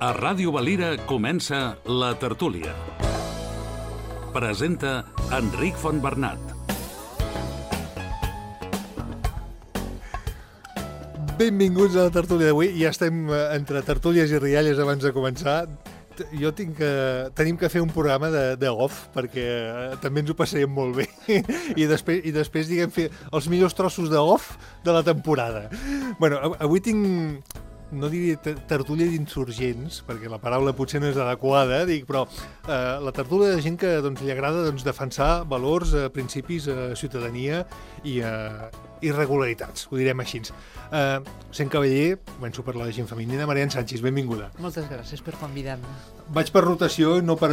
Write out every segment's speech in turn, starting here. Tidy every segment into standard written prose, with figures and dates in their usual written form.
A Ràdio Valira comença La Tertúlia. Presenta Enric Fontbernat. Benvinguts a La Tertúlia d'avui. Ja estem entre tertúlies i rialles abans de començar. Tenim que fer un programa de off, perquè també ens ho passarem molt bé. I després diguem, fer els millors trossos de off de la temporada. Bueno, avui tinc... no diria tertúlia d'insurgents, perquè la paraula potser no és adequada, però la tertúlia de gent que li agrada defensar valors, principis, ciutadania i irregularitats, ho direm així. Sent cavaller, començo per la gent femenina. Marian Sánchez, benvinguda. Moltes gràcies per convidar-me. Vaig per rotació i no per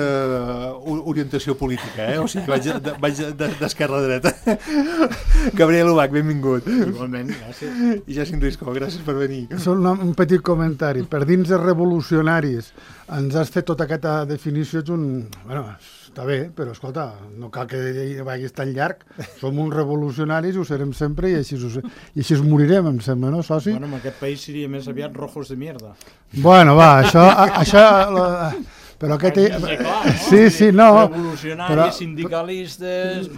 orientació política, o sigui, vaig d'esquerra a dreta. Gabriel Ubach, benvingut. Igualment, gràcies. I Jacint Risco, gràcies per venir. Un petit comentari. Per dins els revolucionaris ens has fet tota aquesta definició. Bueno, està bé, però escolta, no cal que vagis tan llarg. Som uns revolucionaris, ho serem sempre i així us morirem, em sembla, no, soci? Bueno, en aquest país seria més aviat rojos de mierda. Bueno, va, això però aquest... Sí, no. Revolucionaris, sindicalistes...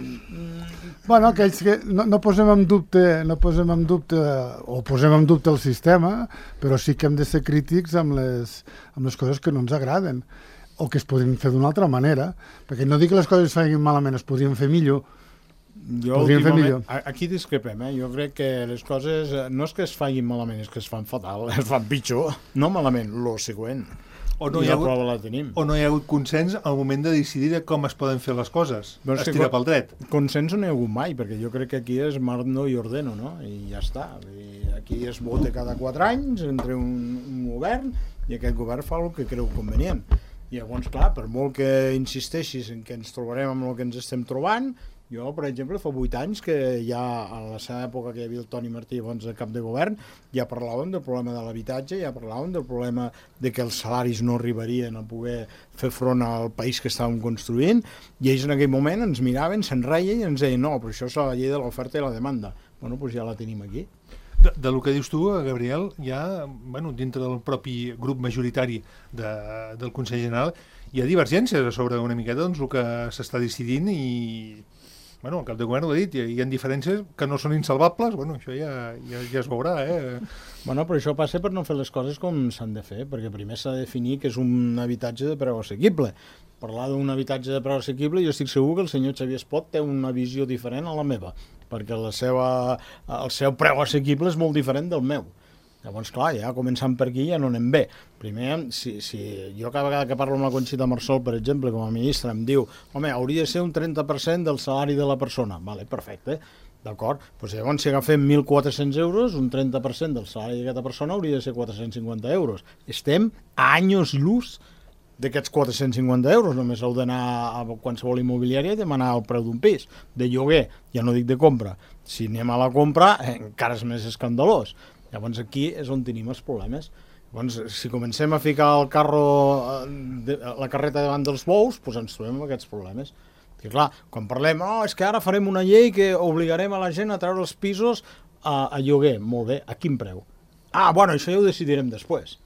Bueno, aquells que no posem en dubte o posem en dubte el sistema, però sí que hem de ser crítics amb les coses que no ens agraden o que es podrien fer d'una altra manera, perquè no dic que les coses es facin malament, es podrien fer millor. Aquí discrepem, Jo crec que les coses no és que es facin malament, és que es fan fatal, es fan pitjor. No malament, lo següent. O no hi ha hagut consens al moment de decidir com es poden fer les coses. Estirar pel dret. Consens no hi ha hagut mai, perquè jo crec que aquí és mando i ordeno, no? I ja està. Aquí es vota cada 4 anys entre un govern i aquest govern fa el que creu convenient. I llavors, clar, per molt que insisteixis en que ens trobarem amb el que ens estem trobant, jo, per exemple, fa 8 anys que ja a la seva època que hi havia el Toni Martí de cap de govern, ja parlàvem del problema de l'habitatge, ja parlàvem del problema de que els salaris no arribarien a poder fer front al país que estàvem construint, i ells en aquell moment ens miraven, se'n reien i ens deien no, però això és la llei de l'oferta i la demanda. Bueno, doncs ja la tenim aquí. Del que dius tu, Gabriel, ja, dintre del propi grup majoritari del Consell General hi ha divergències sobre una miqueta el que s'està decidint i el cap de govern ho ha dit, hi ha diferències que no són insalvables, això ja es veurà, Però això passa per no fer les coses com s'han de fer, perquè primer s'ha de definir que és un habitatge de preu assequible. Parlar d'un habitatge de preu assequible, jo estic segur que el senyor Xavier Espot té una visió diferent a la meva, perquè el seu preu assequible és molt diferent del meu. Llavors, clar, ja començant per aquí ja no anem bé. Primer, si jo cada vegada que parlo amb la Conxita Marsol, per exemple, com a ministra, em diu home, hauria de ser un 30% del salari de la persona. Vale, perfecte, d'acord. Doncs llavors, si agafem 1.400 euros, un 30% del salari d'aquesta persona hauria de ser 450 euros. Estem a anys lluz d'aquests 450 euros. Només heu d'anar a qualsevol immobiliària i demanar el preu d'un pis. De lloguer, ja no dic de compra. Si anem a la compra, encara és més escandalós. Llavors aquí és on tenim els problemes. Llavors, si comencem a ficar el la carreta davant dels bous, doncs ens trobem amb aquests problemes. I clar, quan parlem, és que ara farem una llei que obligarem a la gent a treure els pisos a lloguer. Molt bé, a quin preu? Això ja ho decidirem després.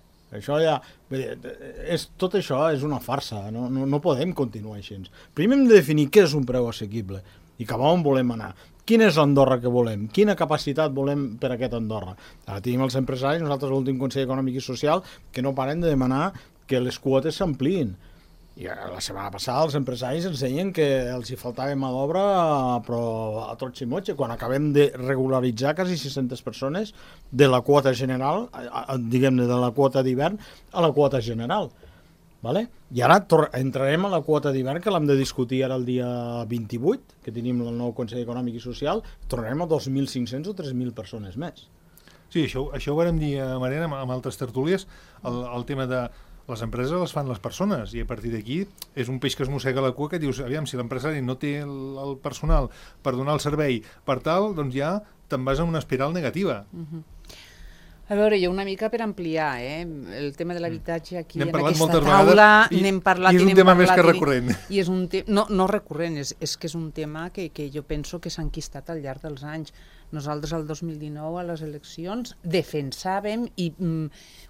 Tot això és una farsa, no podem continuar així. Primer hem de definir què és un preu assequible i cap a on volem anar. Quina és l'Andorra que volem? Quina capacitat volem per a aquest Andorra? Ara tenim els empresaris, nosaltres l'últim Consell Econòmic i Social, que no paren de demanar que les quotes s'ampliïn. I la setmana passada els empresaris ens deien que els hi faltava mà d'obra però a tots i motxe, quan acabem de regularitzar quasi 600 persones de la quota general, diguem-ne de la quota d'hivern a la quota general. Vale? I ara entrarem a la quota d'hivern, que l'hem de discutir ara el dia 28, que tenim el nou Consell Econòmic i Social, tornarem a 2.500 o 3.000 persones més. Sí, això ho vam dir, Mariana, amb altres tertúlies, el tema de les empreses les fan les persones, i a partir d'aquí és un peix que es mossega la cua, que dius, aviam, si l'empresari no té el personal per donar el servei per tal, doncs ja te'n vas en una espiral negativa. A veure, jo una mica per ampliar, el tema de l'habitatge aquí en aquesta taula, n'hem parlat i és un tema més que recurrent. I és un no recurrent, és que és un tema que jo penso que s'ha enquistat al llarg dels anys. Nosaltres el 2019 a les eleccions defensàvem i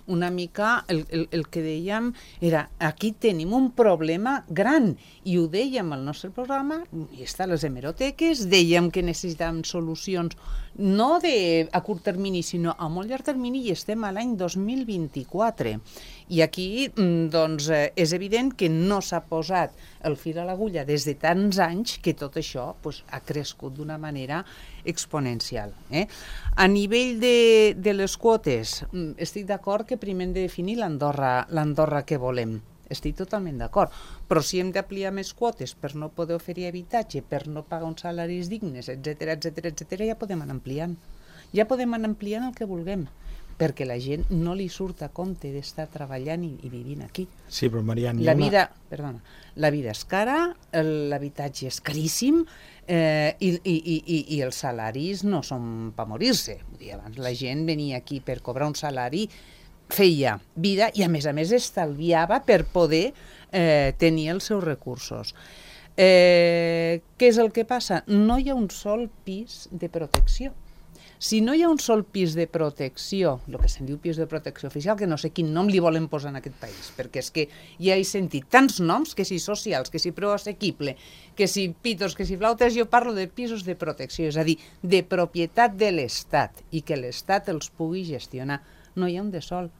una mica el que dèiem era aquí tenim un problema gran i ho dèiem al nostre programa i està a les hemeroteques, dèiem que necessitàvem solucions no a curt termini sinó a molt llarg termini i estem a l'any 2024 i aquí doncs és evident que no s'ha posat el fil a l'agulla des de tants anys que tot això ha crescut d'una manera exponencial. A nivell de les quotes, estic d'acord que primer hem de definir l'Andorra que volem. Estic totalment d'acord, però si hem d'ampliar més quotes per no poder oferir habitatge, per no pagar uns salaris dignes, etc, ja podem anar ampliant. Ja podem anar ampliant el que vulguem, perquè la gent no li surt a compte d'estar treballant i vivint aquí. Sí, però Marian... La vida és cara, l'habitatge és caríssim i els salaris no són per morir-se. Abans la gent venia aquí per cobrar un salari, feia vida i a més estalviava per poder tenir els seus recursos. Què és el que passa? No hi ha un sol pis de protecció. Si no hi ha un sol pis de protecció, el que se'n diu pis de protecció oficial, que no sé quin nom li volen posar en aquest país, perquè és que ja he sentit tants noms, que si socials, que si preu assequible, que si pitos, que si flautes, jo parlo de pisos de protecció, és a dir, de propietat de l'Estat, i que l'Estat els pugui gestionar. No hi ha un de sol.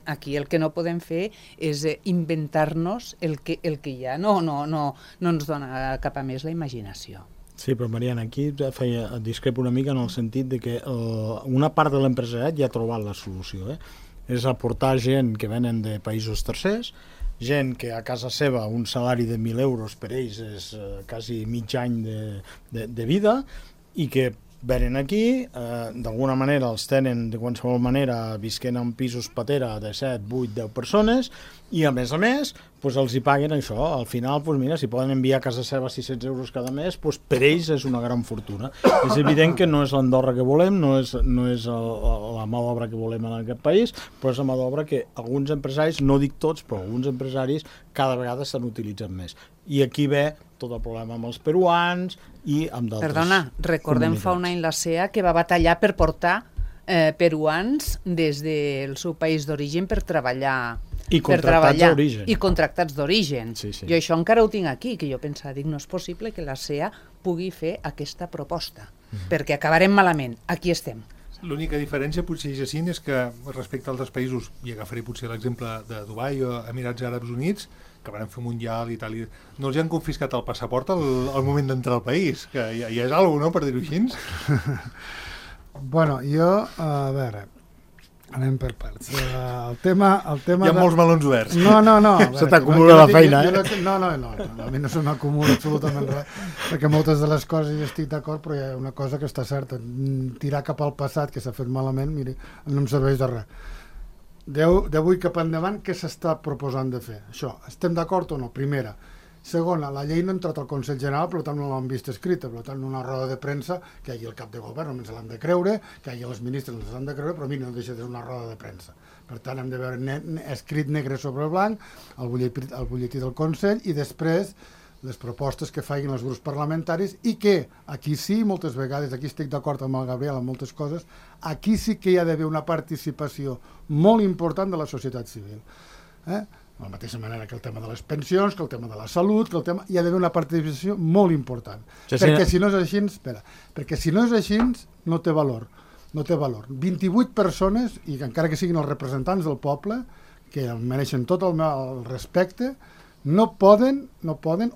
Aquí el que no podem fer és inventar-nos el que ja no ens dona cap a més la imaginació. Sí, però Mariana, aquí discrepo una mica en el sentit de que una part de l'empresariat ja ha trobat la solució. És aportar gent que venen de països tercers, gent que a casa seva un salari de 1.000 euros per ells és quasi mig any de vida i que venen aquí, d'alguna manera els tenen de qualsevol manera visquent en pisos patera de 7, 8, 10 persones i a més els hi paguen això. Al final, mira, si poden enviar a casa seva 600 euros cada mes, per ells és una gran fortuna. És evident que no és l'Andorra que volem, no és la mà d'obra que volem en aquest país, però és la mà d'obra que alguns empresaris, no dic tots, però alguns empresaris cada vegada estan utilitzant més. I aquí ve tot el problema amb els peruans i amb d'altres. Perdona, recordem fa un any la CEA que va batallar per portar peruans des del seu país d'origen per treballar. I contractats d'origen. I contractats d'origen. Sí. Jo això encara ho tinc aquí, que jo pensava, no és possible que la CEA pugui fer aquesta proposta, perquè acabarem malament. Aquí estem. L'única diferència potser és que respecte a altres països, i agafaré potser l'exemple de Dubai o Emirats Àrabs Units, que van fer un mundial i tal, no els han confiscat el passaport al moment d'entrar al país, que ja és alguna cosa, no?, per dir-ho així. Bueno, jo, a veure, anem per parts. El tema Hi ha molts melons oberts. No. Se t'acumula la feina, No, a mi no se m'acumula absolutament res, perquè moltes de les coses hi estic d'acord, però hi ha una cosa que està certa. Tirar cap al passat, que s'ha fet malament, miri, no em serveix de res. D'avui cap endavant, què s'està proposant de fer? Això, estem d'acord o no? Primera. Segona, la llei no ha entrat al Consell General, per tant no l'han vist escrita, per tant una roda de premsa, que hi hagi el cap de govern, només l'han de creure, que hi hagi els ministres, no s'han de creure, però a mi no deixa de ser una roda de premsa. Per tant, hem de veure escrit negre sobre blanc, el butlletí del Consell, i després les propostes que facin els grups parlamentaris, i que aquí sí, moltes vegades, aquí estic d'acord amb el Gabriel en moltes coses, aquí sí que hi ha d'haver una participació molt important de la societat civil. De la mateixa manera que el tema de les pensions, que el tema de la salut, que el tema... hi ha d'haver una participació molt important. Perquè si no és així, no té valor. No té valor. 28 persones, i encara que siguin els representants del poble, que mereixen tot el respecte, no poden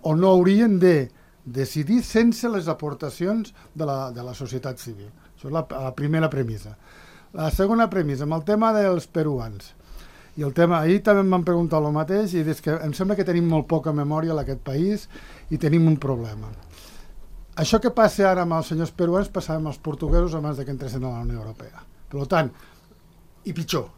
o no haurien de decidir sense les aportacions de la societat civil. Això és la primera premissa. La segona premissa, amb el tema dels peruans. I el tema, ahir també em van preguntar el mateix, i és que em sembla que tenim molt poca memòria en aquest país i tenim un problema. Això que passa ara amb els senyors peruans passava amb els portuguesos abans que entressin a la Unió Europea. Per tant, i pitjor.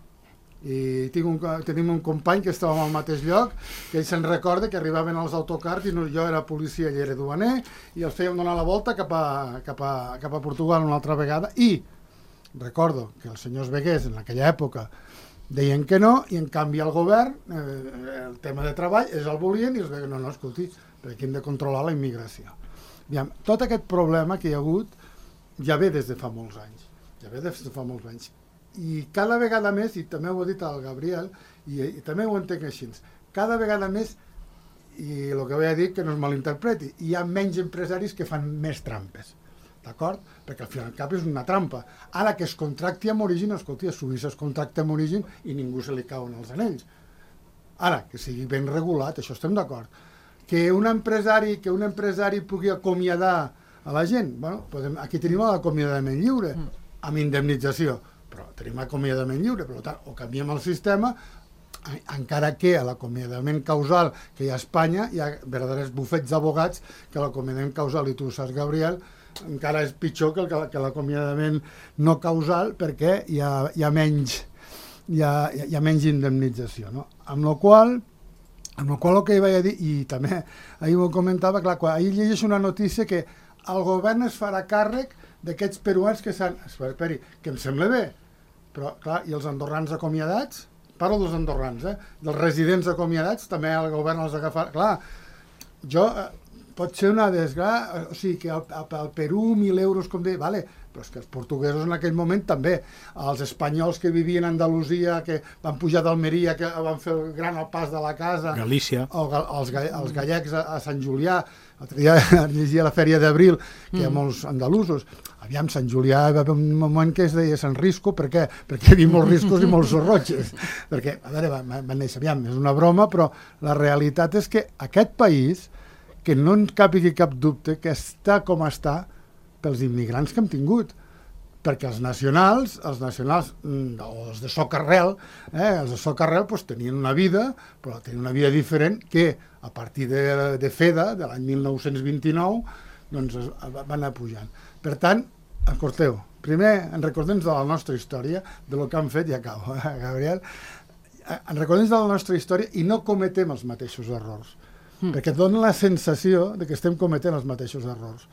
I tenim un company que estava al mateix lloc, que ell se'n recorda que arribaven als autocars i jo era policia i era duaner, i els fèiem donar la volta cap a Portugal una altra vegada, i recordo que els senyors Veguers en aquella època deien que no, i en canvi el govern, el tema de treball, ells el volien i els veien, escolti, perquè hem de controlar la immigració. Tot aquest problema que hi ha hagut ja ve des de fa molts anys. I cada vegada més, i també ho ha dit el Gabriel, i també ho entenc així, cada vegada més, i el que vaig dir que no es malinterpreti, hi ha menys empresaris que fan més trampes, d'acord? Perquè al final cap és una trampa. Ara que es contracti amb origen, escolti, a Suïssa es contracta amb origen i ningú se li cauen els anells. Ara, que sigui ben regulat, això estem d'acord. Que un empresari pugui acomiadar a la gent, bueno, aquí tenim l'acomiadament lliure, amb indemnització, però tenim acomiadament lliure, per tant, o canviem el sistema, encara que a l'acomiadament causal que hi ha a Espanya hi ha verdaders bufets d'abogats que l'acomiadament causal, i tu ho saps, Gabriel, encara és pitjor que l'acomiadament no causal perquè hi ha menys indemnització, no? Amb la qual el que hi vaig a dir, i també ahir ho comentava, clar, ahir llegeixo una notícia que el govern es farà càrrec d'aquests peruans que s'han... Esperi, que em sembla bé, però clar, i els andorrans acomiadats? Parlo dels andorrans, dels residents acomiadats, també el govern els agafa... Clar, pot ser una desgràcia, o sigui, que al Perú 1.000 euros, com deia, vale, però és que els portuguesos en aquell moment també, els espanyols que vivien a Andalusia, que van pujar d'Almeria, que van fer el gran pas de la casa... Galícia. O els gallecs a Sant Julià, l'altre dia llegia la Fèria d'Abril, que hi ha molts andalusos. Aviam, Sant Julià hi va haver un moment que es deia Sant Risco, per què? Perquè hi havia molts riscos i molts sorrotxes. Perquè, a veure, van néixer, aviam, és una broma, però la realitat és que aquest país, que no en capigui cap dubte, que està com està pels immigrants que hem tingut. Perquè els nacionals, o els de socarrel, els de socarrel tenien una vida, però tenien una vida diferent que a partir de FEDA, de l'any 1929, doncs van anar pujant. Per tant, escolteu, primer en recordem de la nostra història, de lo que han fet, i acabo, Gabriel, en recordem de la nostra història i no cometem els mateixos errors, perquè dona la sensació de que estem cometent els mateixos errors.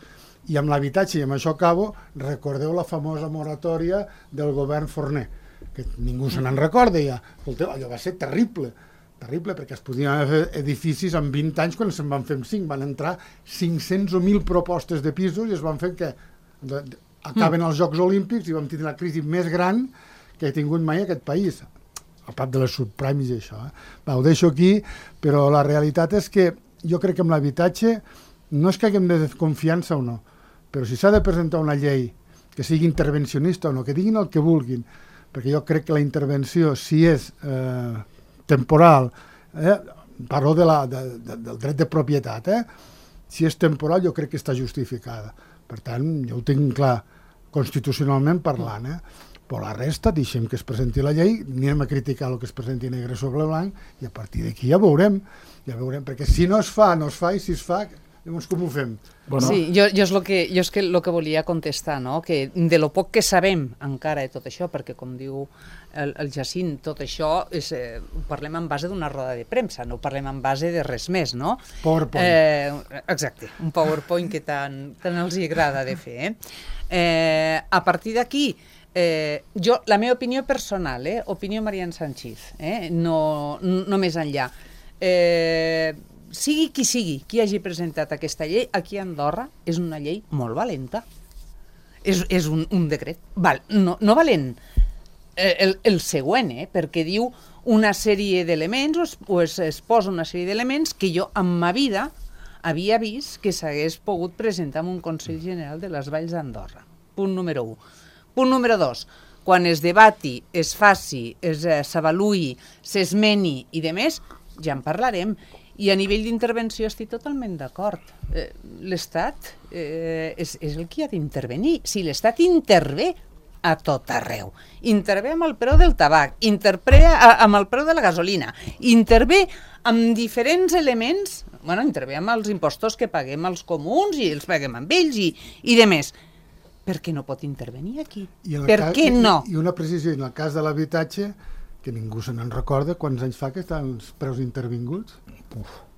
I amb l'habitatge, i amb això acabo, recordeu la famosa moratòria del govern Forner, que ningú se n'en recorda ja. Escolteu, allò va ser terrible, perquè es podien fer edificis en 20 anys quan se'n van fer 5. Van entrar 500 o 1.000 propostes de pisos i es van fer que acaben els Jocs Olímpics i vam tenir la crisi més gran que ha tingut mai aquest país, a part de les subprimes i això. Ho deixo aquí, però la realitat és que jo crec que amb l'habitatge no és que haguem de confiança o no, però si s'ha de presentar una llei que sigui intervencionista o no, que diguin el que vulguin, perquè jo crec que la intervenció, si és temporal, parlo del dret de propietat, si és temporal jo crec que està justificada. Per tant, jo ho tinc clar, constitucionalment parlant, però la resta, deixem que es presenti la llei, anirem a criticar el que es presenti negre sobre blanc, i a partir d'aquí ja veurem, perquè si no es fa, i si es fa, llavors com ho fem? Bueno. Sí, jo és el que volia contestar, no? Que de lo poc que sabem encara de tot això, perquè com diu el Jacint, tot això ho parlem en base d'una roda de premsa, no ho parlem en base de res més, no? PowerPoint. Exacte, un PowerPoint que tant els agrada de fer. A partir d'aquí, la meva opinió personal, opinió Marian Sanchiz, no més enllà. Sigui qui hagi presentat aquesta llei, aquí a Andorra és una llei molt valenta. És un decret. No valent el següent, perquè diu una sèrie d'elements, o es posa una sèrie d'elements que jo en ma vida havia vist que s'hagués pogut presentar en un Consell General de les Valls d'Andorra. Punt número 1. Punt número 2. Quan es debati, es faci, s'avaluï, s'esmeni i demés, ja en parlarem. I a nivell d'intervenció estic totalment d'acord. L'Estat és el que ha d'intervenir. Si l'Estat intervé a tot arreu, intervé amb el preu del tabac, intervé amb el preu de la gasolina, intervé amb diferents elements, intervé amb els impostos que paguem als comuns i els paguem amb ells i demés. Per què no pot intervenir aquí? Per què no? I una precisió, en el cas de l'habitatge, que ningú se n'en recorda, quants anys fa que estan els preus intervinguts?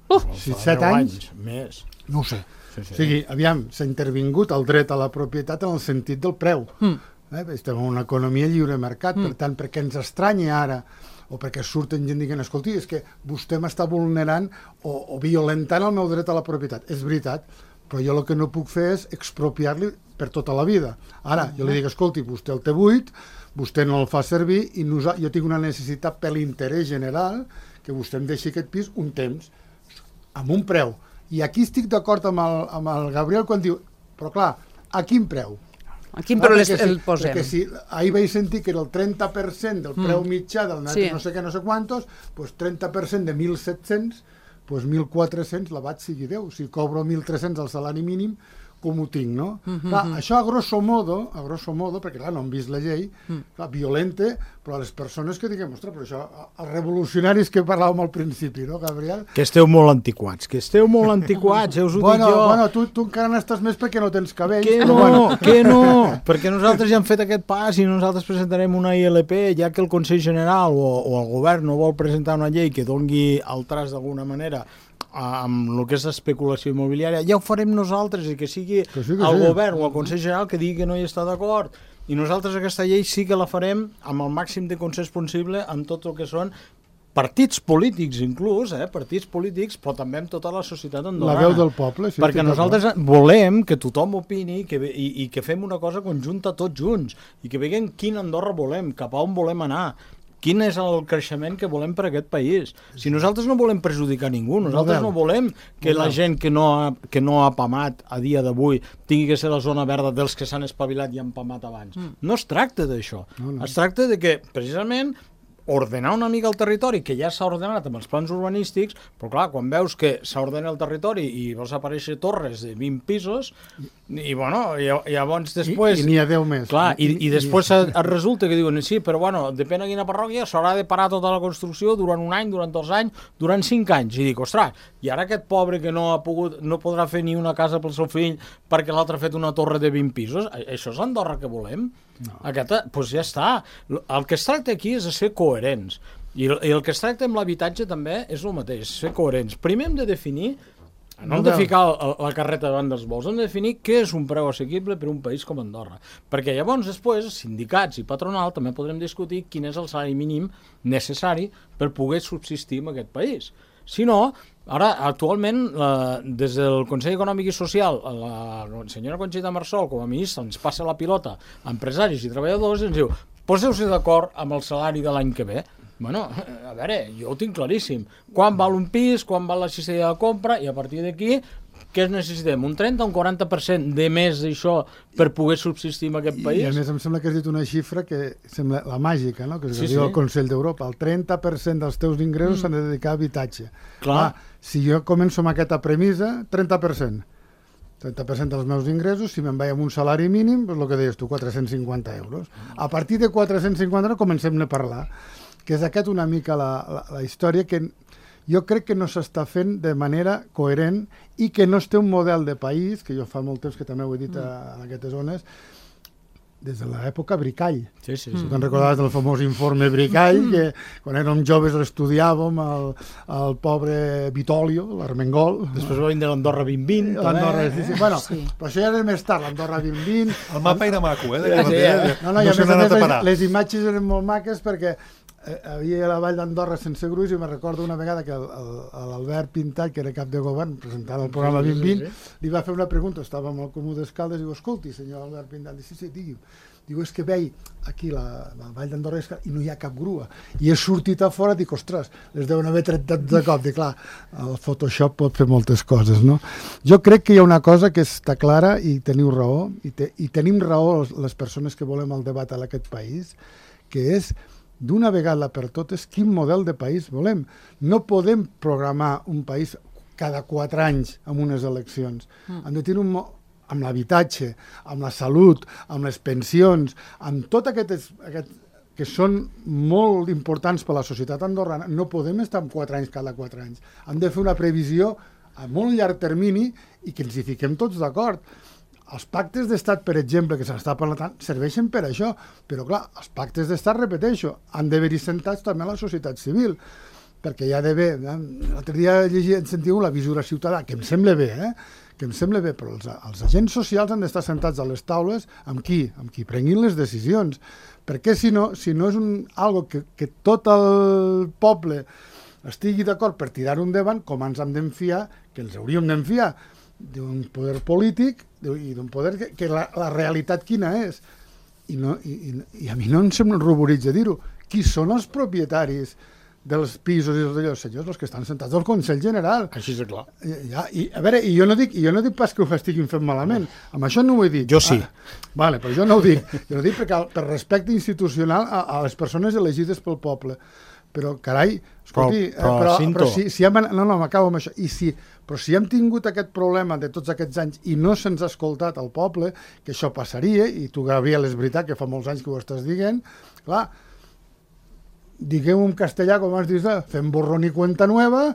7 anys? Més. No ho sé. Sí. O sigui, aviam, s'ha intervingut el dret a la propietat en el sentit del preu. Estem en una economia lliure mercat, per tant, perquè ens estranya ara, o perquè surten gent dient, escolti, és que vostè m'està vulnerant o violentant el meu dret a la propietat. És veritat, però jo el que no puc fer és expropiar-li per tota la vida. Ara, jo li dic, escolti, vostè el té buit, vostè no el fa servir i jo tinc una necessitat per l'interès general que vostè em deixi aquest pis un temps, amb un preu. I aquí estic d'acord amb el Gabriel quan diu, però clar, a quin preu? A quin preu el posem? Perquè si ahir vaig sentir que era el 30% del preu mitjà del net no sé què, no sé quantos, doncs 30% de 1.700, doncs 1.400 la vaig sigui Déu. Si cobro 1.300 al salari mínim, com ho tinc, no? Clar, això a grosso modo, perquè clar, no hem vist la llei, clar, violenta, però a les persones que diguem, ostres, però això, els revolucionaris que parlàvem al principi, no, Gabriel? Que esteu molt antiquats, ja us ho dic jo. Bueno, tu encara n'estàs més perquè no tens cabells. Que no, perquè nosaltres ja hem fet aquest pas i nosaltres presentarem una ILP, ja que el Consell General o el govern no vol presentar una llei que dongui al tras d'alguna manera amb el que és l'especulació immobiliària, ja ho farem nosaltres, i que sigui el govern o el Consell General que digui que no hi està d'acord. I nosaltres aquesta llei sí que la farem amb el màxim de consens possible amb tot el que són partits polítics inclús, partits polítics, però també amb tota la societat andorrana. La veu del poble, sí. Perquè nosaltres volem que tothom opini i que fem una cosa conjunta tots junts i que veiem quina Andorra volem, cap a on volem anar, quin és el creixement que volem per a aquest país. Si nosaltres no volem perjudicar ningú, nosaltres no volem que la gent que no ha pamat a dia d'avui tingui que ser la zona verda dels que s'han espavilat i han pamat abans. No es tracta d'això. Es tracta de que, precisament, ordenar una mica el territori, que ja s'ha ordenat amb els plans urbanístics, però clar, quan veus que s'ha ordenat el territori i veus aparèixer torres de 20 pisos, i bueno, llavors després... I n'hi ha 10 més. Clar, i després et resulta que diuen, sí, però bueno, depèn de quina parròquia, s'haurà de parar tota la construcció durant un any, durant 2 anys, durant 5 anys. I dic, ostres, i ara aquest pobre que no podrà fer ni una casa pel seu fill perquè l'altre ha fet una torre de 20 pisos, això és l'Andorra que volem? No. Doncs ja està. El que es tracta aquí és de ser coherents. I el que es tracta amb l'habitatge també és el mateix, ser coherents. Primer hem de definir, no hem de ficar la carreta davant dels bous, hem de definir què és un preu assequible per a un país com Andorra. Perquè llavors després, sindicats i patronal, també podrem discutir quin és el salari mínim necessari per poder subsistir en aquest país. Si no, ara, actualment, des del Consell Econòmic i Social, la senyora Conxita Marsol, com a ministra, ens passa la pilota a empresaris i treballadors i ens diu, poseu-se d'acord amb el salari de l'any que ve. Bueno, a veure, jo ho tinc claríssim. Quan val un pis, quan val la cistella de compra, i a partir d'aquí, què necessitem? Un 30 o un 40% de més d'això per poder subsistir en aquest país? I a més em sembla que has dit una xifra que sembla la màgica, no? Que es diu el Consell d'Europa. El 30% dels teus ingressos s'han de dedicar a habitatge. Clar, si jo començo amb aquesta premissa, 30%. 30% dels meus ingressos, si me'n vaig amb un salari mínim, doncs el que deies tu, 450 euros. A partir de 450 comencem a parlar, que és aquesta una mica la història que jo crec que no s'està fent de manera coherent i que no es té un model de país, que jo fa molt temps que també ho he dit en aquestes zones, des de l'època Bricall. Sí. Te'n recordaves del famós informe Bricall, que quan érem joves l'estudiàvem, el pobre Vitolio, l'Armengol. Després va vindre l'Andorra 2020. L'Andorra, sí. Bueno, però això ja era més tard, l'Andorra 2020. El mapa era maco, No, i a més les imatges eren molt maques perquè havia a la Vall d'Andorra sense gruix i me'n recordo una vegada que l'Albert Pintat, que era cap de govern, presentant el programa 2020, li va fer una pregunta, estava amb el Comú d'Escaldes, i diu, escolti, senyor Albert Pintat, sí, digui. Diu, és que veig aquí la Vall d'Andorra i no hi ha cap grua. I he sortit a fora i dic, ostres, les deuen haver tret de cop. Dic, clar, el Photoshop pot fer moltes coses, no? Jo crec que hi ha una cosa que està clara i teniu raó, i tenim raó les persones que volem el debat en aquest país, que és d'una vegada per totes quin model de país volem. No podem programar un país cada 4 anys amb unes eleccions. Hem de tenir amb l'habitatge, amb la salut, amb les pensions, amb tot aquest que són molt importants per a la societat andorrana, no podem estar en 4 anys cada 4 anys. Hem de fer una previsió a molt llarg termini i que ens hi fiquem tots d'acord. Els pactes d'estat, per exemple, que s'està parlant, serveixen per això, però clar, els pactes d'estat, repeteixo, han d'haver-hi sentats també a la societat civil, perquè hi ha d'haver... L'altre dia sentiu la visura ciutadana, que em sembla bé, que em sembla bé, però els agents socials han d'estar sentats a les taules amb qui prenguin les decisions, perquè si no és algo que tot el poble estigui d'acord per tirar-ho endavant, com ens hem d'enfiar, que ens hauríem d'enfiar d'un poder polític i d'un poder que la realitat quina és. I a mi no em ruboritza dir-ho. Qui són els propietaris dels pisos i dels senyors, els que estan sentats al Consell General? Així és clar. A veure, i jo no dic pas que ho estiguin fent malament. Amb això no ho he dit. Jo sí. Vale, però jo no ho dic. Jo ho dic perquè per respecte institucional a les persones elegides pel poble. Però, carai, escolti, però si hem... No, m'acabo amb això. Però si hem tingut aquest problema de tots aquests anys i no se'ns ha escoltat al poble, que això passaria, i tu, Gabriel, és veritat que fa molts anys que ho estàs dient, clar, diguem-ho en castellà, com has dit, fem borrón i cuenta nueva,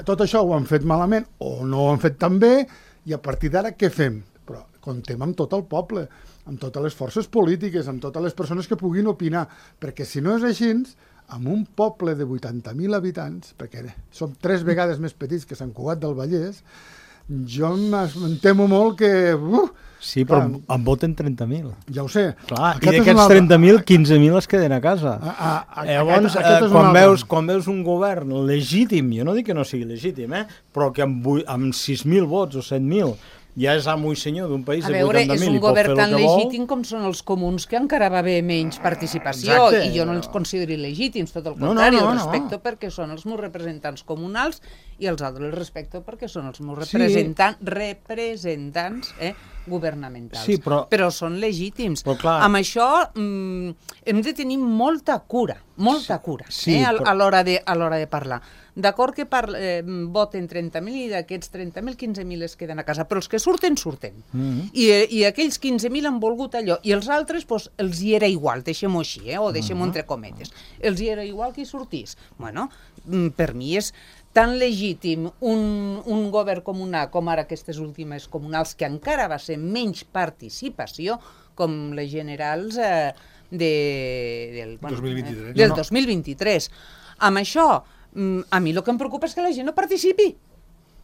tot això ho han fet malament o no ho han fet tan bé, i a partir d'ara què fem? Però comptem amb tot el poble, amb totes les forces polítiques, amb totes les persones que puguin opinar, perquè si no és així, amb un poble de 80.000 habitants, perquè som 3 vegades més petits que Sant Cugat del Vallès, jo em temo molt que... Sí, però en voten 30.000. Ja ho sé. Clar, i d'aquests 30.000, 15.000 es queden a casa. Llavors, quan veus un govern legítim, jo no dic que no sigui legítim, però que amb 6.000 vots o 7.000 ja és amo i senyor d'un país de 80.000 i pot fer el que vol. És un govern tan legítim com són els comuns, que encara va haver menys participació. Exacte. I jo no els considero il·legítims, tot el contrari, els respecto perquè són els meus representants comunals i els altres els respecto perquè són els meus representants governamentals. Sí, però són legítims. Amb això hem de tenir molta cura a l'hora de parlar. D'acord que voten 30.000 i d'aquests 30.000, 15.000 es queden a casa, però els que surten. I aquells 15.000 han volgut allò, i els altres els hi era igual, deixem-ho així, o deixem-ho entre cometes. Els hi era igual que hi sortís. Bueno, per mi és tan legítim un govern comunal com ara aquestes últimes comunals, que encara va ser menys participació, com les generals del 2023. Amb això, a mi el que em preocupa és que la gent no participi,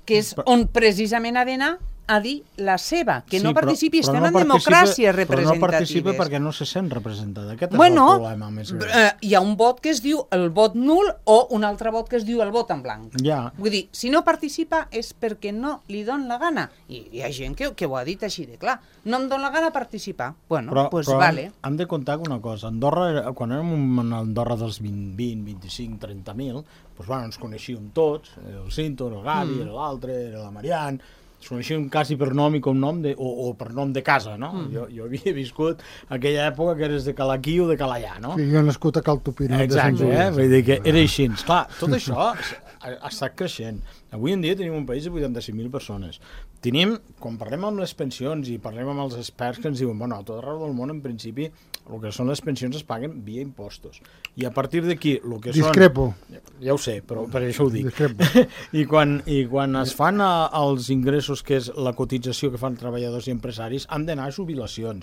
que és on precisament ha d'anar a dir la seva, que no participi, estem en democràcies representatives. Però no participa perquè no se sent representada. Aquest és el problema més gran. Hi ha un vot que es diu el vot nul o un altre vot que es diu el vot en blanc. Vull dir, si no participa és perquè no li don la gana. I hi ha gent que ho ha dit així de clar. No em don la gana participar. Bueno, doncs vale. Hem de comptar una cosa. Andorra, quan érem en Andorra dels 20, 25, 30.000, doncs ens coneixíem tots, el Cinto, el Gavi, l'altre, la Marian... es coneixien quasi per nom i cognom o per nom de casa, no? Jo havia viscut aquella època que eres de Calaquí o de Calallà, no? Sí, jo he nascut a Cal Tupinat. Exacte, vull dir que era així. Clar, tot això ha estat creixent. Avui en dia tenim un país de 85.000 persones. Tenim, quan parlem amb les pensions i parlem amb els experts que ens diuen, bueno, a tot arreu del món, en principi, el que són les pensions es paguen via impostos. I a partir d'aquí, el que són... Discrepo. Ja ho sé, però per això ho dic. Discrepo. I quan es fan els ingressos, que és la cotització que fan treballadors i empresaris, han d'anar a jubilacions.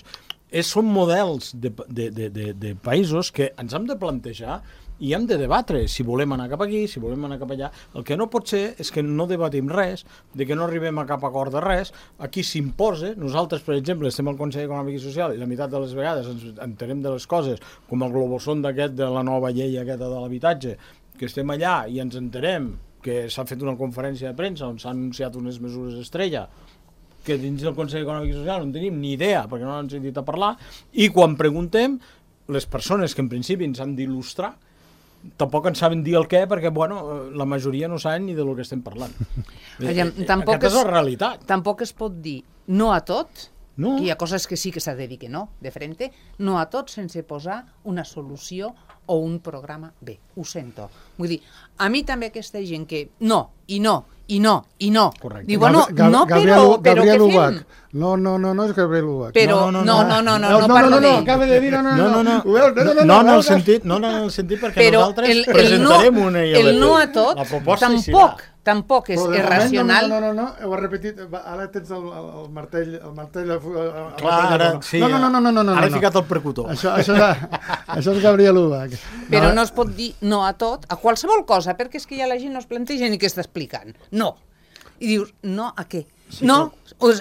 Són models de països que ens hem de plantejar i hem de debatre si volem anar cap aquí, si volem anar cap allà. El que no pot ser és que no debatim res, de que no arribem a cap acord de res. Aquí s'imposa. Nosaltres, per exemple, estem al Consell Econòmic i Social i la meitat de les vegades ens entenem de les coses, com el globosón d'aquest de la nova llei aquesta de l'habitatge, que estem allà i ens entenem que s'ha fet una conferència de premsa on s'han anunciat unes mesures estrella que dins del Consell Econòmic i Social no en tenim ni idea perquè no han sentit a parlar, i quan preguntem, les persones que en principi ens han d'il·lustrar tampoc en saben dir el què, perquè la majoria no saben ni de lo que estem parlant. Aquesta és la realitat. Tampoc es pot dir no a tot, que hi ha coses que sí que s'ha de dir que no, de frente, no a tot sense posar una solució o un programa B. Ho sento. Vull dir, a mi també aquesta gent que no, i no, i no, i no. Correcte. Diu, bueno, no, però què fem? No, és Gabriel Ubach. Però, no, acaba de dir no, en el sentit perquè nosaltres presentarem una i el no a tot tampoc és irracional. No, ho ha repetit, ara tens el martell... Clar, ara, sí, ara he ficat el percutor. Això és Gabriel Ubach. Però no es pot dir no a tot, a qualsevol cosa, perquè és que ja la gent no es planteja ni què està explicant. No. I dius, no a què? No,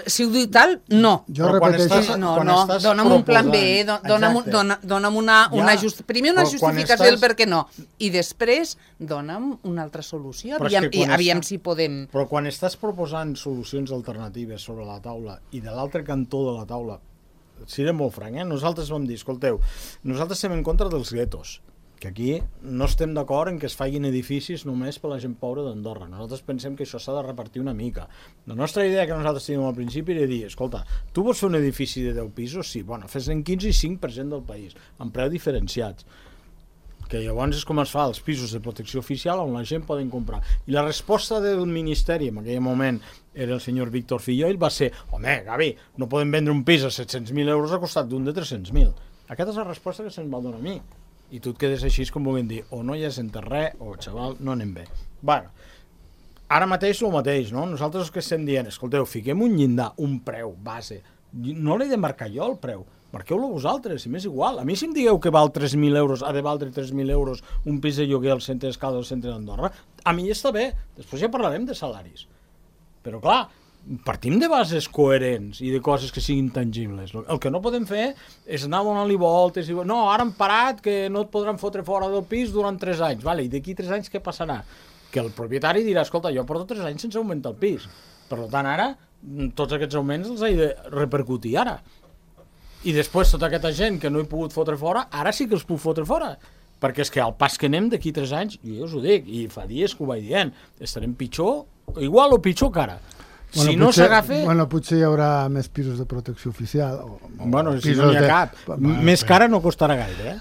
si ho diu tal, no. Jo Però quan repeteixo... estàs- No, quan no, estàs dona'm un plan B, proposant- dona'm una Ja, primer una però quan justificació del estàs- per què no, i després dona'm una altra solució, Però és que quan aviam està- si podem... Però quan estàs proposant solucions alternatives sobre la taula i de l'altre cantó de la taula, seré molt franc, nosaltres vam dir, escolteu, nosaltres estem en contra dels guetos, que aquí no estem d'acord en que es facin edificis només per la gent pobra d'Andorra. Nosaltres pensem que això s'ha de repartir una mica. La nostra idea que nosaltres tenim al principi era dir, escolta, tu vols fer un edifici de 10 pisos? Sí, bueno, fes-en 15 i 5% del país, amb preus diferenciats. Que llavors és com es fa els pisos de protecció oficial on la gent poden comprar. I la resposta del Ministeri, en aquell moment era el senyor Víctor Filloil, va ser, home, Gavi, no podem vendre un pis a 700.000 euros a costat d'un de 300.000. Aquesta és la resposta que se'ns va donar a mi. I tu et quedes així com volent dir, o no hi has entès res, o xaval, no anem bé. Bueno, ara mateix el mateix, no? Nosaltres el que estem dient, escolteu, fiquem un llindar, un preu base. No l'he de marcar jo el preu, marqueu-lo vosaltres, si m'és igual. A mi si em digueu que val 3.000 euros, ha de valdre 3.000 euros un pis de lloguer al centre d'Escalda, al centre d'Andorra, a mi està bé, després ja parlarem de salaris. Però clar, partim de bases coherents i de coses que siguin tangibles. El que no podem fer és anar donant-li voltes i... No, ara han parat que no et podran fotre fora del pis durant 3 anys. Vale, i d'aquí 3 anys què passarà? Que el propietari dirà, escolta, jo porto 3 anys sense augmentar el pis. Per tant, ara, tots aquests augments els he de repercutir ara. I després tota aquesta gent que no he pogut fotre fora, ara sí que els puc fotre fora. Perquè és que al pas que anem d'aquí 3 anys, jo us ho dic, i fa dies que ho vaig dient, estarem pitjor, igual o pitjor que ara. Si no s'agafa... Bueno, potser hi haurà més pisos de protecció oficial. Bueno, si no n'hi ha cap. Més cara no costarà gaire,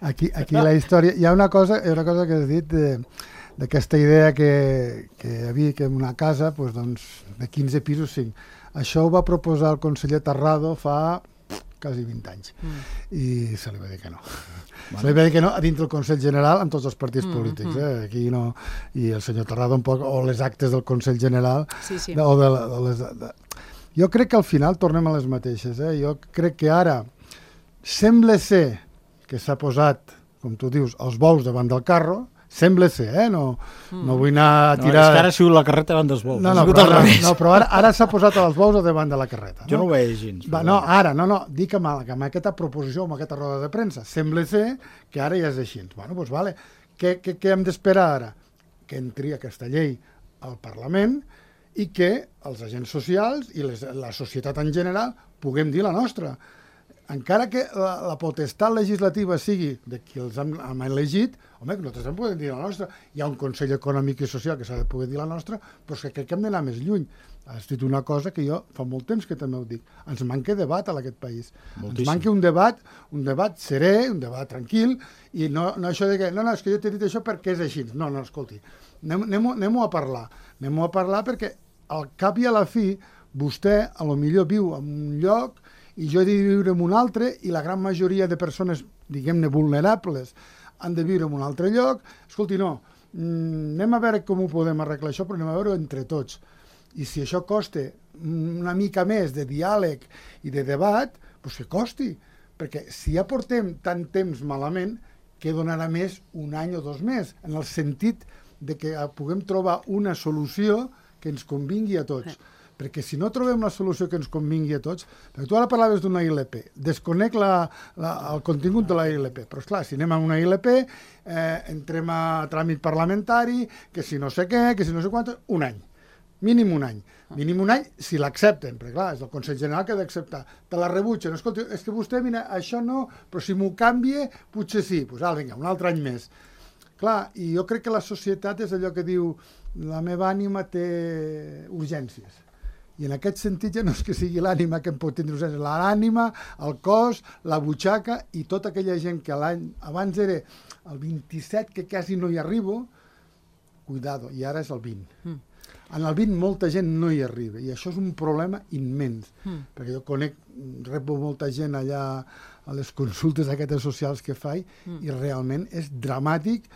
Aquí la història... Hi ha una cosa que has dit d'aquesta idea que hi havia que en una casa doncs, de 15 pisos, 5. Això ho va proposar el conseller Tarrado fa quasi 20 anys. I se li va dir que no. Se li va dir que no a dintre del Consell General amb tots els partits polítics. Aquí no... I el senyor Tarrado un poc, o les actes del Consell General... Sí, sí. Jo crec que al final tornem a les mateixes. Jo crec que ara sembla ser que s'ha posat, com tu dius, els bous davant del carro. Sembla ser, no vull anar a tirar... No, és que ara ha sigut la carreta davant dels bous. Però ara s'ha posat els bous davant de la carreta. Jo no ho veig gens. Dic amb aquesta proposició, amb aquesta roda de premsa. Sembla ser que ara ja és així. Bueno, doncs vale. Què hem d'esperar ara? Que entri aquesta llei al Parlament i que els agents socials i la societat en general puguem dir la nostra. Encara que la potestat legislativa sigui de qui els hem elegit, home, nosaltres en podem dir la nostra. Hi ha un Consell Econòmic i Social que s'ha de poder dir la nostra, però és que crec que hem d'anar més lluny. Has dit una cosa que jo fa molt temps que també ho dic. Ens manca debat a aquest país. Moltíssim. Ens manca un debat serè, un debat tranquil, i no això de que, no, és que jo t'he dit això perquè és així. No, escolti, anem-ho a parlar. Anem-ho a parlar perquè al cap i a la fi vostè a lo millor viu en un lloc i jo he de viure en un altre, i la gran majoria de persones, diguem-ne, vulnerables, han de viure en un altre lloc. Escolti, no, anem a veure com ho podem arreglar això, però anem a veure entre tots. I si això costa una mica més de diàleg i de debat, doncs que costi. Perquè si ja portem tant temps malament, què donarà més un any o 2 més? En el sentit de que puguem trobar una solució que ens convingui a tots. Perquè si no trobem la solució que ens convingui a tots... Perquè tu ara parlaves d'una ILP, desconec el contingut de la ILP, però esclar, si anem a una ILP, entrem a tràmit parlamentari, que si no sé què, que si no sé quant... Un any, mínim un any. Mínim un any si l'accepten, perquè clar, és el Consell General que ha d'acceptar. Te la rebutgen, escolta, és que vostè, mira, això no, però si m'ho canvia, potser sí. Doncs vinga, un altre any més. Clar, i jo crec que la societat és allò que diu la meva ànima té urgències. I en aquest sentit ja no és que sigui l'ànima que em pot tindre urgències, l'ànima, el cos, la butxaca i tota aquella gent que l'any abans era el 27, que quasi no hi arribo, cuidado, i ara és el 20. En el 20 molta gent no hi arriba, i això és un problema immens, perquè jo rebo molta gent allà a les consultes aquestes socials que faig, i realment és dramàtic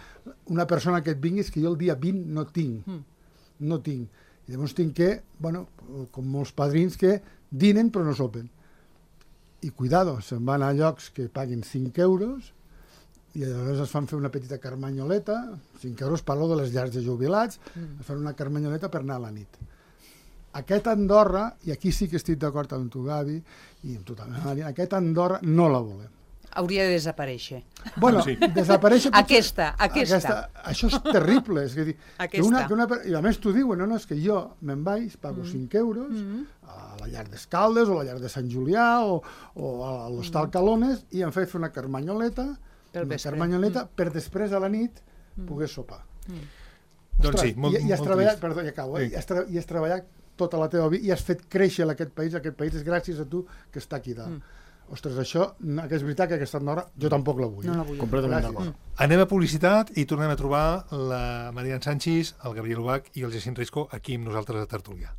una persona que et vingui, és que jo el dia 20 no tinc. I llavors tinc que, com molts padrins que dinen però no sopen. I cuidado, se'n van a llocs que paguen 5 euros i llavors es fan fer una petita carmanyoleta, 5 euros, parlo de les llars de jubilats, es fan una carmanyoleta per anar a la nit. aquest Andorra, i aquí sí que estic d'acord amb tu, Gavi, i amb tu també, Marina, aquest Andorra no la volem. Hauria de desaparèixer. Bueno, desaparèixer... Aquesta. Això és terrible. És a dir, Aquesta. I a més t'ho diuen, no, és que jo me'n vaig, pago 5 euros a la llar d'Escaldes o a la llar de Sant Julià o a l'Hostal Calones i em faig fer una carmanyoleta per després a la nit poder sopar. Doncs sí, molt i has treballat, trist. perdó, ja acabo, i has treballat tota la teva vida i has fet créixer aquest país és gràcies a tu que està aquí dalt. Ostres, això, que és veritat que aquesta Andorra jo tampoc la vull. No la vull. Completament d'acord. Anem a publicitat i tornem a trobar la Marian Sanchis, el Gabriel Ubach i el Jacint Risco aquí amb nosaltres a Tertúlia.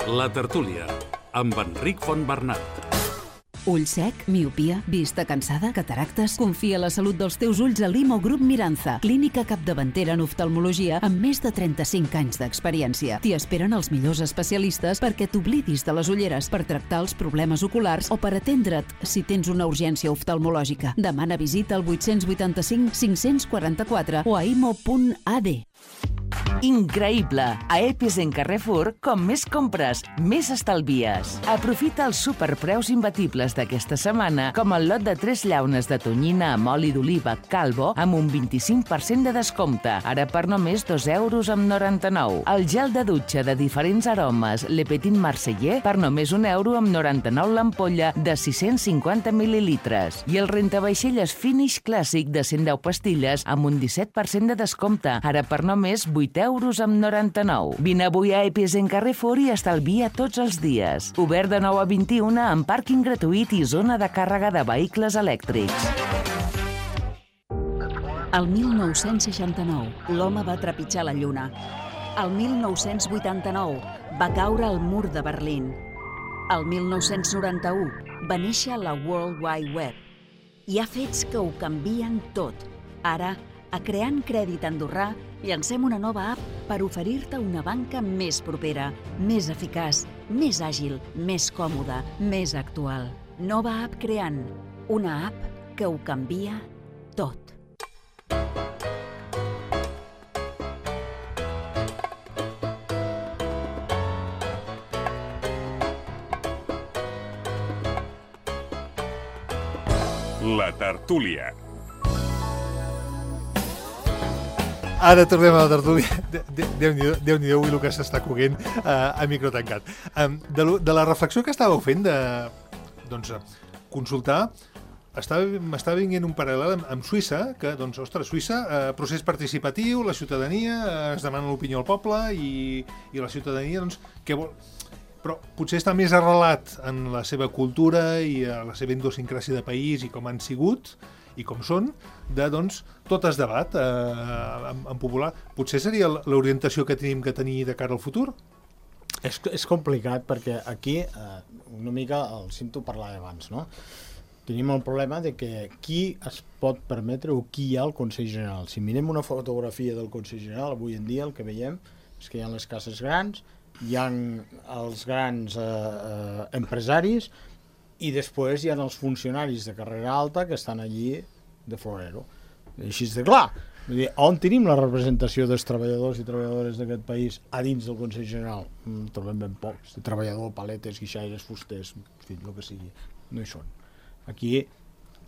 La Tertúlia, amb Enric Fontbernat. Ull sec, miopia, vista cansada, cataractes... Confia la salut dels teus ulls a Limo Grup Miranza, clínica capdavantera en oftalmologia amb més de 35 anys d'experiència. T'hi esperen els millors especialistes perquè t'oblidis de les ulleres per tractar els problemes oculars o per atendre't si tens una urgència oftalmològica. Demana visita al 885 544 o a imo.ad. Increïble! A Episen Carrefour, com més compres, més estalvies. Aprofita els superpreus imbatibles d'aquesta setmana, com el lot de 3 llaunes de tonyina amb oli d'oliva Calvo amb un 25% de descompte, ara per només 2,99 €. El gel de dutxa de diferents aromes Le Petit Marseillais per només €1,99 l'ampolla de 650 mil·lilitres. I el rentavaixelles Finish Clàssic de 110 pastilles amb un 17% de descompte, ara per només €8,99. Vine avui a Episen Carrefour i estalvia tots els dies. Obert de 9 a 21 amb pàrquing gratuït i zona de càrrega de vehicles elèctrics. El 1969, l'home va trepitjar la Lluna. El 1989, va caure el mur de Berlín. El 1991, va néixer la World Wide Web. Hi ha fets que ho canvien tot. Ara, a Creant Crèdit Andorrà, llancem una nova app per oferir-te una banca més propera, més eficaç, més àgil, més còmoda, més actual. Nova app Creant, una app que ho canvia tot. La Tertúlia. Ara tornem a la tertúlia. Déu-n'hi-do avui el que s'està coguent a micro tancat. De la reflexió que estàveu fent de consultar, m'estava vinguent un paral·lel amb Suïssa, que, ostres, Suïssa, procés participatiu, la ciutadania, es demana l'opinió al poble i la ciutadania, què vol... Però potser està més arrelat en la seva cultura i a la seva idiosincràsia de país i com han sigut i com són, tot es debat en popular. Potser seria l'orientació que tenim que tenir de cara al futur? És complicat perquè aquí una mica el sento parlar abans, no? Tenim el problema de que qui es pot permetre o qui hi ha al Consell General. Si mirem una fotografia del Consell General, avui en dia el que veiem és que hi ha les cases grans, hi ha els grans empresaris i després hi ha els funcionaris de carrera alta que estan allí de florero. Així de clar. Vull dir, on tenim la representació dels treballadors i treballadores d'aquest país a dins del Consell General? Trobem ben pocs. De treballador, paletes, guixaires, fusters, el que sigui. No hi són. Aquí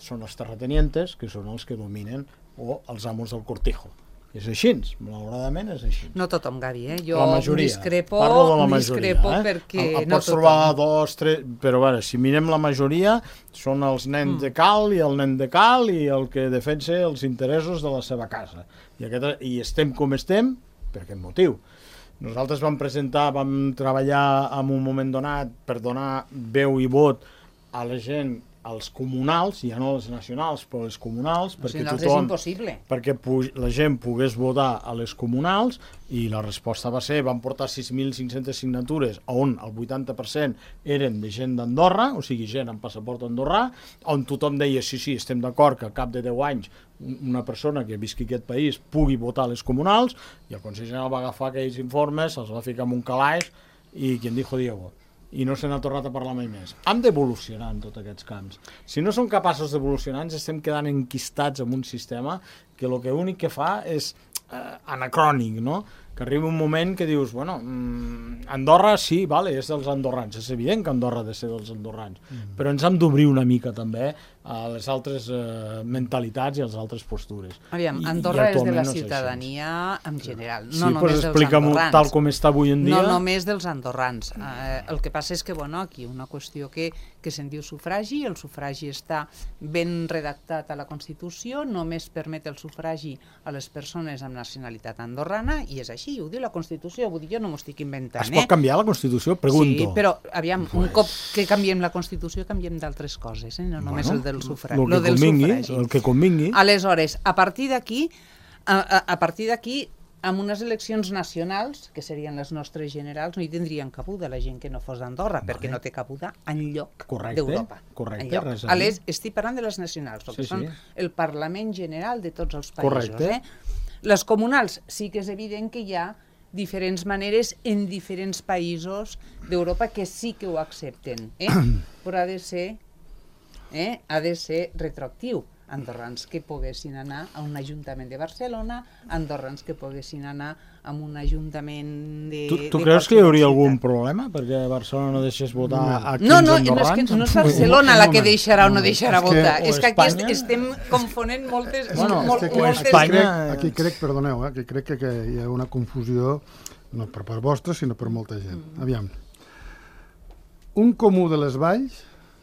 són els terratenientes, que són els que dominen, o els amos del cortijo. És així, malauradament és així. No tothom, Gavi, Jo la majoria. discrepo perquè no pots trobar 2, 3, però bueno, si mirem la majoria són els nens de cal i el nen de cal i el que defensa els interessos de la seva casa. I estem com estem per aquest motiu. Nosaltres vam treballar en un moment donat per donar veu i vot a la gent, als comunals, ja no als nacionals, però als comunals, perquè la gent pogués votar a les comunals, i la resposta va ser, van portar 6.500 signatures, on el 80% eren de gent d'Andorra, o sigui, gent amb passaport andorrà, on tothom deia, sí, estem d'acord que al cap de 10 anys una persona que visqui aquest país pugui votar a les comunals, i el Consell General va agafar aquells informes, els va ficar en un calaix, i quien dijo Diego. I no se n'ha tornat a parlar mai més. Hem d'evolucionar en tots aquests camps. Si no som capaços d'evolucionar, ens estem quedant enquistats en un sistema que el que únic que fa és anacrònic, no? que arriba un moment que dius, bueno, Andorra sí, vale, és dels andorrans, és evident que Andorra ha de ser dels andorrans, però ens hem d'obrir una mica també a les altres mentalitats i a les altres postures. Aviam, Andorra és de la ciutadania en general, no només dels andorrans. Tal com està avui en dia. No només dels andorrans. El que passa és que, bueno, aquí una qüestió que se'n diu sufragi, el sufragi està ben redactat a la Constitució, només permet el sufragi a les persones amb nacionalitat andorrana, i és així, ho diu la Constitució, vull dir, jo no m'ho estic inventant. Es pot canviar la Constitució? Pregunto. Sí, però, aviam, un cop que canviem la Constitució, canviem d'altres coses, no només el del sufragi. El que convingui. Aleshores, a partir d'aquí, amb unes eleccions nacionals, que serien les nostres generals, no hi tindrien cabuda la gent que no fos d'Andorra, perquè no té cabuda enlloc d'Europa. Correcte. Estic parlant de les nacionals, que són el Parlament General de tots els països. Les comunals sí que és evident que hi ha diferents maneres en diferents països d'Europa que sí que ho accepten, però ha de ser retroactiu. Andorrans que poguessin anar a un ajuntament de Barcelona, andorrans que poguessin anar a un ajuntament de... Tu creus que hi hauria algun problema perquè Barcelona no deixés votar a 15 andorrans? No és Barcelona la que deixarà o no deixarà votar, és que aquí estem confonent moltes... Aquí crec, perdoneu, aquí crec que hi ha una confusió, no per part vostra, sinó per molta gent. Aviam, un comú de les Valls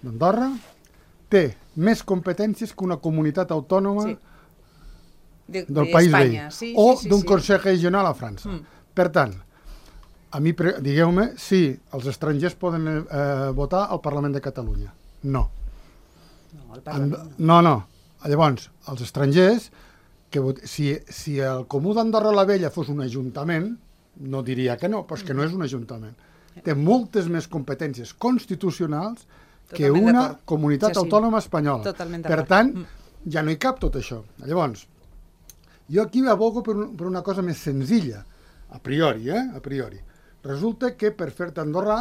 d'Andorra té més competències que una comunitat autònoma del país veí, o d'un Consell Regional a França. Per tant, a mi, digueu-me, si els estrangers poden votar al Parlament de Catalunya. No. No. Llavors, els estrangers, si el Comú d'Andorra la Vella fos un ajuntament, no diria que no, però és que no és un ajuntament. Té moltes més competències constitucionals que una comunitat autònoma espanyola. Per tant, ja no hi cap tot això. Llavors, jo aquí abogo per una cosa més senzilla, a priori. Resulta que per fer-te andorrà,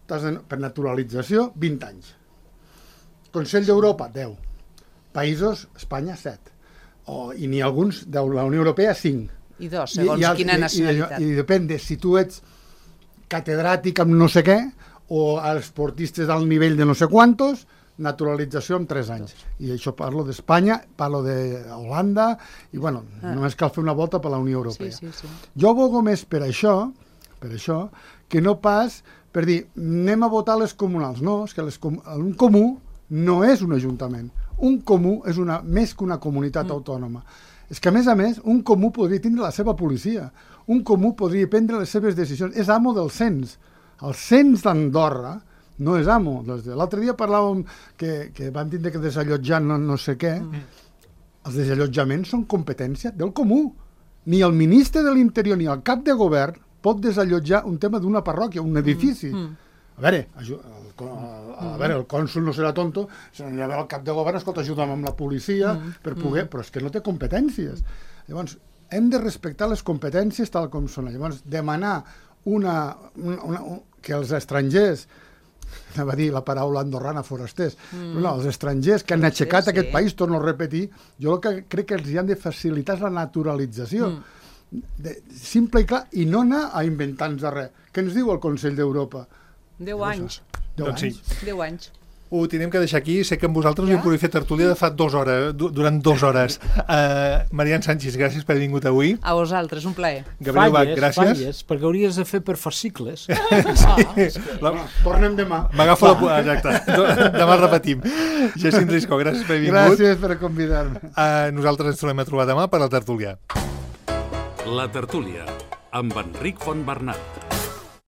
per naturalització, 20 anys. Consell d'Europa, 10. Països, Espanya, 7. I n'hi ha alguns de la Unió Europea, 5. I 2, segons quina nacionalitat. I depèn de si tu ets catedràtic amb no sé què, o als esportistes al nivell de no sé quantos, naturalització en 3 anys. I això parlo d'Espanya, parlo d'Holanda, i bueno, només cal fer una volta per la Unió Europea. Jo abogo més per això, que no pas per dir, anem a votar les comunals. No, és que un comú no és un ajuntament. Un comú és més que una comunitat autònoma. És que, a més, un comú podria tindre la seva policia. Un comú podria prendre les seves decisions. És amo del cens. El cens d'Andorra no és amo. L'altre dia parlàvem que van tindre que desallotjar no sé què. Els desallotjaments són competència del comú. Ni el ministre de l'Interior ni el cap de govern pot desallotjar un tema d'una parròquia, un edifici. A veure, el cònsul no serà tonto, se n'anirà a veure el cap de govern, escolta, ajuda'm amb la policia per poder... Però és que no té competències. Llavors, hem de respectar les competències tal com són. Llavors, demanar que els estrangers, anava a dir la paraula andorrana, forasters, però els estrangers que han aixecat aquest país, torno a repetir, jo el que crec que els hi han de facilitar és la naturalització. Simple i clar, i no anar a inventar-nos res. Què ens diu el Consell d'Europa? 10 anys. 10 anys. Ho tenim que deixar aquí. Sé que amb vosaltres hi podria fer tertúlia de fa 2 hores, durant 2 hores. Marian Sánchez, gràcies per haver vingut avui. A vosaltres, un plaer. Gabriel Bach, gràcies. Falles, perquè hauries de fer per fascicles. Tornem demà. M'agafo la... Exacte. Demà repetim. Jacint Risco, gràcies per haver vingut. Gràcies per convidar-me. Nosaltres ens tornem a trobar demà per la tertúlia. La tertúlia, amb Enric Fontbernat.